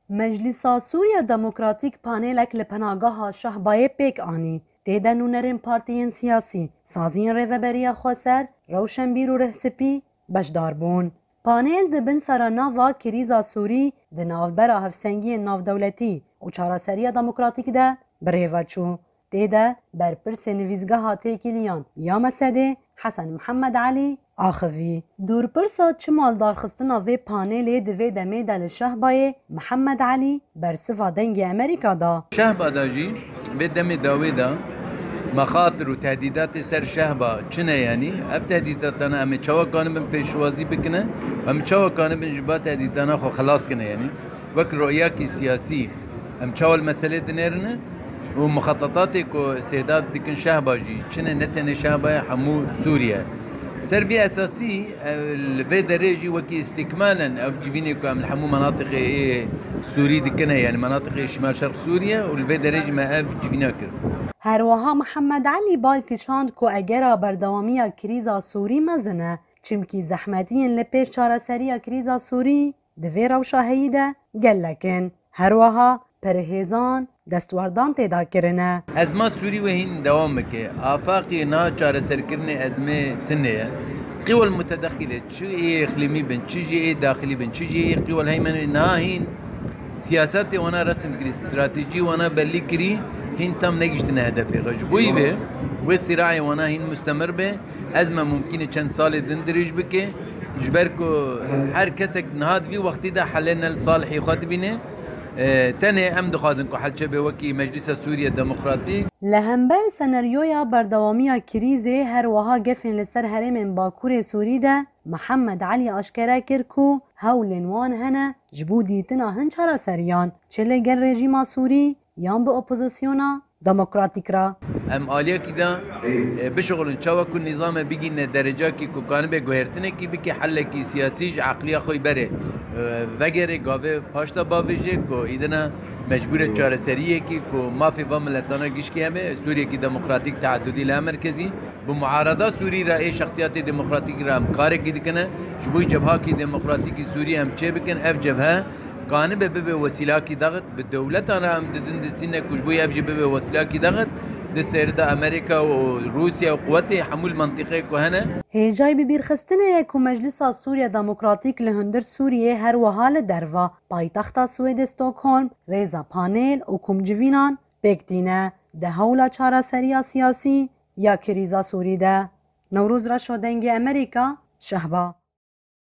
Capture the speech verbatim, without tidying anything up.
Meclîsa Sûriya Demokratîk panelek li penageha Şehbayê pêk anî. Tê de nûnerên partiyên siyasî, saziyên Rêveberiya Xweser, Rewşenbîr û Rihspî beşdar bûn. Panel di bin sera nava krîza Sûrî di navbera hevsengiyên navdewletî û çareseriya demokratîk de bi rê ve çû. Tê de berpirsê nivîsgeha têkiliyan ya Mesedê Hesen Mihemed Elî axivî. Dûrpirsa çima lidarxistina vê panelê di vê demê de li Şehbayê Mihemed Elî bersiva Dengê Amerîka da. Şehba da jî vê demê dawê de mexatir û tehdîdatê ser Şehba çi ne, yanî ev tehdîdatana em ê çawa kanibin pêşwazî bikine, em çawa kanibin ji ba tehdîdana xwe xelas kine, yanî wek royakî siyasî em çawa li meselê dinêrine û muxetetatê ku îstîhdaf dikin Şehba jî çi ne, ne tenê Şehba ye, hemû Sûriye. Ser vî esasî, e, li vê derê jî wekî îstîkmalen ev civînê ku em li hemû menatiqê ê Sûrî dikine, yanî menatiqê Şimal Şerq Sûriye û li vê derê jî me ev civîna kir. Her wiha Mihemed Elî bal kişand ku egera berdewamiya krîza Sûrî mezin e, çimkî zehmetiyên li pêş çareseriya krîza Sûrî di vê rewşa heyî de gelek in. Her wiha perhêzan destwerdan tê de kirine. Ezma Sûrî wê hîn dewam bike. Afaqê niha çareserkirinê ezmê tune ye. Qîwel mutedexîlê, çi ê îqlîmî bin, çi jî ê daxilî bin, çi jî ê qîwel heymenê niha hîn siyasetê wana resim kirî, stratejî wana bellî kirî, hîn tam negihiştine hedefê xwe. Ji bo vê, wê sîrayê wana hîn mustemir be. Ezme mumkîn e çend salê din dirêj bike, ji ber ku her kesek niha di vî wextî de helê ne li salihî xwe dibîne. E, tenê em dixwazin ku hel çêbe wekî Meclîsa Sûriye Demokratîk. Li hember senaryoya berdewamiya krîzê her wiha gefên li ser herêmên Bakurê Sûrî de Mihemed Elî aşkere kir ku hewlên wan hene ji bo dîtina hin çareseriyan, çi li gel rejîma Sûrî yan bi opozisyona demokratîk re. Em aliyekî de, e, bişixulin çawa ku nîzame bigîne derecakî ku kanibe guhertinekî bike, hellekî siyasî ji eqliya xwe berê, e, vegere gavê paşta bavêje ku îdina mecbûre çareseriyekî ku mafê va miletana gişkî hebe, Sûriyekî demokratîk, teadudî li merkezî, bi muarada Sûrî re ê şexsiyatê demokratîk re em karekî dikine, ji bo cebhakî demokratîkî Sûrî em çêbikin, ev cebhe kanibe bibe wesîlakî daxit, bi dewletan re em didin distîne ku ji bo ev jî bibe wesîlakî daxit, di sêrida Amerîka û Rûsya û quwetê hemû li mentiqeyê ku hene. Hêjayî bibîrxistinê ye ku Meclisa Sûriya Demokratîk li hundir Sûriyê her wiha li derva paytexta Swêdê Stockholm rêza panel û komcivînan pêk tîne di hewla çareseriya siyasî ya krîza Sûrî de. Newroz Reşo, Dengê Amerîka, Şehba.